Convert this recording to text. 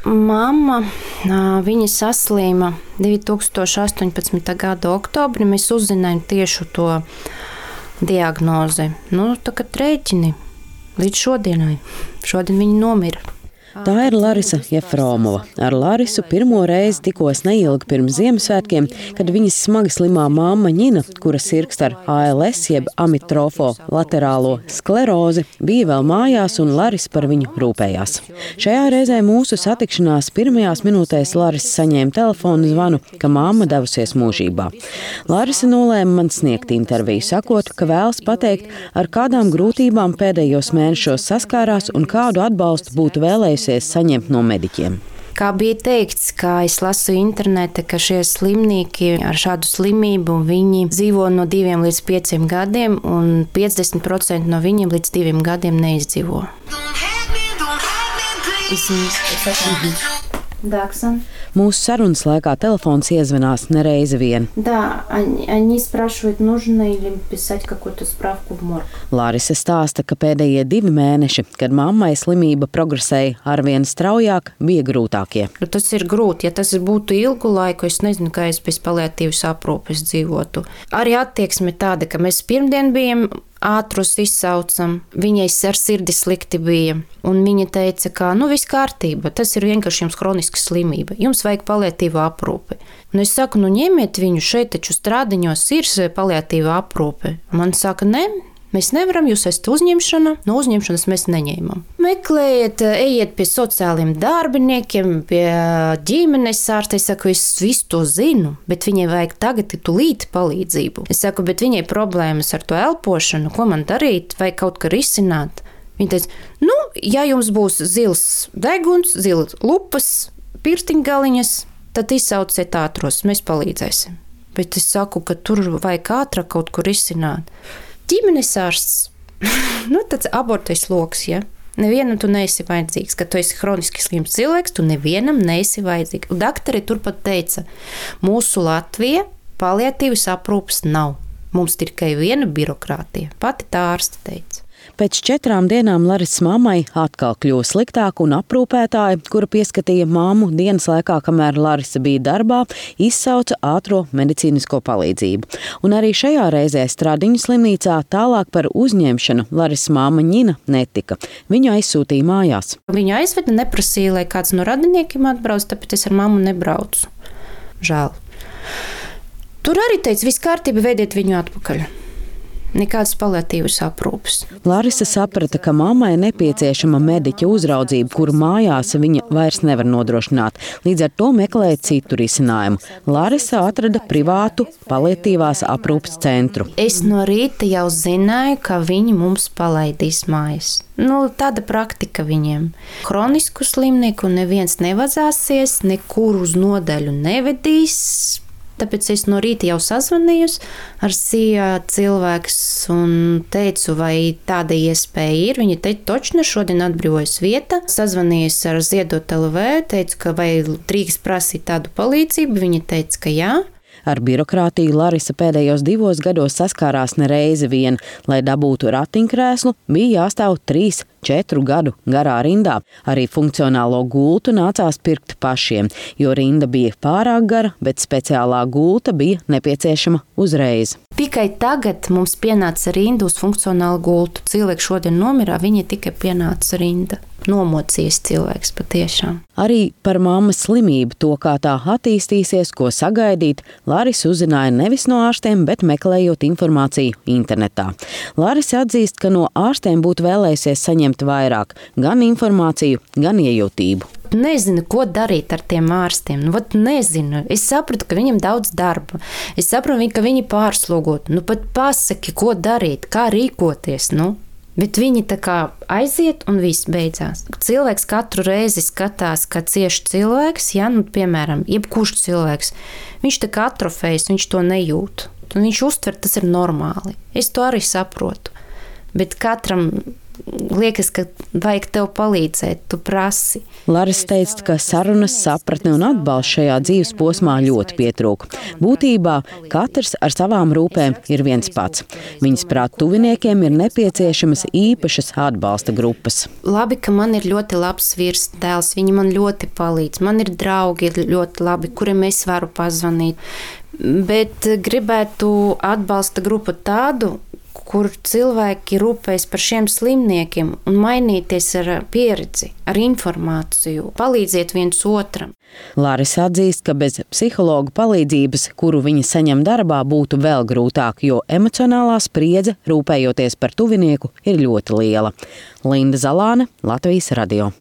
Mamma, viņa saslīma 2018. gada oktobrī. Mēs uzzinājām tieši to diagnozi. Tagad rēķini līdz šodienai. Šodien viņa nomira. Tā ir Larisa Jefromova. Ar Larisu pirmo reizi tikos neilgi pirms Ziemassvētkiem, kad viņas smagi slimā mamma Ņina, kura sirgst ar ALS jeb amitrofo laterālo sklerozi, bija vēl mājās un Larisa par viņu rūpējās. Šajā reizē mūsu satikšanās pirmajās minūtēs Larisa saņēma telefonu zvanu, ka mamma devusies mūžībā. Larisa nolēma man sniegt interviju, sakot, ka vēlas pateikt, ar kādām grūtībām pēdējos mēnešos saskārās un kādu atbalstu būtu vēlējusies saņemt no mediķiem. Kā bija teikts, kā es lasu internete, ka šie slimnieki ar šādu slimību, viņi dzīvo no 2 līdz 5 gadiem, un 50% no viņiem līdz 2 gadiem neizdzīvo. Mūsu sarunas laikā telefons iezvanās nereizi vien. Larisa stāsta, ka pēdējie 2 mēneši, kad mammai slimība progresēja arvien straujāk, bija grūtākie. Tas ir grūti. Ja tas būtu ilgu laiku, es nezinu, kā es bez paliatīvas aprūpes dzīvotu. Arī attieksme tāda, ka mēs pirmdien bijām ātrus izsaucam, viņai ar sirdi slikti bija, un viņa teica, ka viss kārtība, tas ir vienkārši jums kroniska slimība, jums vajag paliatīvu aprūpi. Un es saku, ņemiet viņu, šeit taču Strādiņos ir paliatīva aprūpe. Man saka, ne, mēs nevaram, jūs esat uzņemšana, no uzņemšanas mēs neņēmam. Meklējiet, ejiet pie sociāliem darbiniekiem, pie ģimenes ārsta. Es saku, es visu to zinu, bet viņai vajag tagad tūlīt palīdzību. Es saku, bet viņai problēmas ar to elpošanu, ko man darīt, vai kaut kā risināt. Viņa teica, ja jums būs zils deguns, zilas lupas, pirkstiņgaliņas, tad izsauciet ātros, mēs palīdzēsim. Bet es saku, ka tur vajag ātrāk kaut ko risināt. Ģimenes ārsts, tāds abortais loks, ja? Nevienam tu neesi vajadzīgs, ka tu esi hroniski slims cilvēks, tu nevienam neesi vajadzīgs. Un daktari turpat teica, mūsu Latvija paliatīvas aprūpes nav. Mums tikai viena birokrātija, pati tā ārste teica. Pēc 4 dienām Larisas mammai atkal kļuva sliktāk un aprūpētāja, kura pieskatīja mammu dienas laikā, kamēr Larisa bija darbā, izsauca ātro medicīnisko palīdzību. Un arī šajā reizē Stradiņu slimnīcā tālāk par uzņemšanu Larisas mamma Ņina netika. Viņu aizsūtīja mājās. Viņu aizveda, neprasīja, lai kāds no radiniekiem atbrauc, tāpēc es ar mammu nebraucu. Žēl. Tur arī teica, viss kārtība, veidiet viņu atpakaļ. Nekādas paliatīvas aprūpes. Larisa saprata, ka mammai nepieciešama mediķa uzraudzība, kuru mājās viņa vairs nevar nodrošināt. Līdz ar to meklēja citu risinājumu. Larisa atrada privātu paliatīvās aprūpes centru. Es no rīta jau zināju, ka viņi mums palaidīs mājas. Tāda praktika viņiem. Hronisku slimnieku neviens nevazāsies, nekur uz nodaļu nevedīs. Tāpēc es no rīta jau sazvanījos ar SIA cilvēks un teicu, vai tāda iespēja ir. Viņa teica, točna, šodien atbrīvojas vieta. Sazvanījos ar Ziedot LV, teicu, ka vai drīkst prasīt tādu palīdzību. Viņa teica, ka jā. Ar birokrātiju Larisa pēdējos 2 gados saskārās nereizi vien. Lai dabūtu ratiņkrēslu, bija jāstāv 3-4 gadu garā rindā. Arī funkcionālo gultu nācās pirkt pašiem, jo rinda bija pārāk gara, bet speciālā gulta bija nepieciešama uzreiz. Tikai tagad mums pienāca rinda uz funkcionālu gultu. Cilvēks šodien nomirā, viņa tikai pienāca rinda. Nomocījis cilvēks patiešām. Arī par mammas slimību, to kā tā attīstīsies, ko sagaidīt, Larisa uzzināja nevis no ārstiem, bet meklējot informāciju internetā. Larisa atzīst, ka no ārstiem būtu vēlējusies saņemt vairāk, gan informāciju, gan iejūtību. Nezinu, ko darīt ar tiem ārstiem. Nezinu. Es sapratu, ka viņam daudz darba. Es saprotu, ka viņi pārslogot. Pat pasaki, ko darīt, kā rīkoties, Bet viņi tā kā aiziet un viss beidzās. Cilvēks katru reizi skatās, ka cieši cilvēks, piemēram, jebkurš cilvēks, viņš tā kā atrofējas, viņš to nejūt. Un viņš uztver, tas ir normāli. Es to arī saprotu. Bet katram liekas, ka vajag tev palīdzēt, tu prasi. Larisa teica, ka sarunas, sapratne un atbalsts šajā dzīves posmā ļoti pietrūka. Būtībā katrs ar savām rūpēm ir viens pats. Viņas prāt tuviniekiem ir nepieciešamas īpašas atbalsta grupas. Labi, ka man ir ļoti labs virsdēls, viņi man ļoti palīdz. Man ir draugi ļoti labi, kuriem es varu pazvanīt. Bet gribētu atbalsta grupu tādu, kur cilvēki rūpējas par šiem slimniekiem un mainīties ar pieredzi, ar informāciju, palīdziet viens otram. Larisa atzīst, ka bez psihologa palīdzības, kuru viņa saņem darbā, būtu vēl grūtāk, jo emocionālā spriedze, rūpējoties par tuvinieku, ir ļoti liela. Linda Zalāne, Latvijas radio.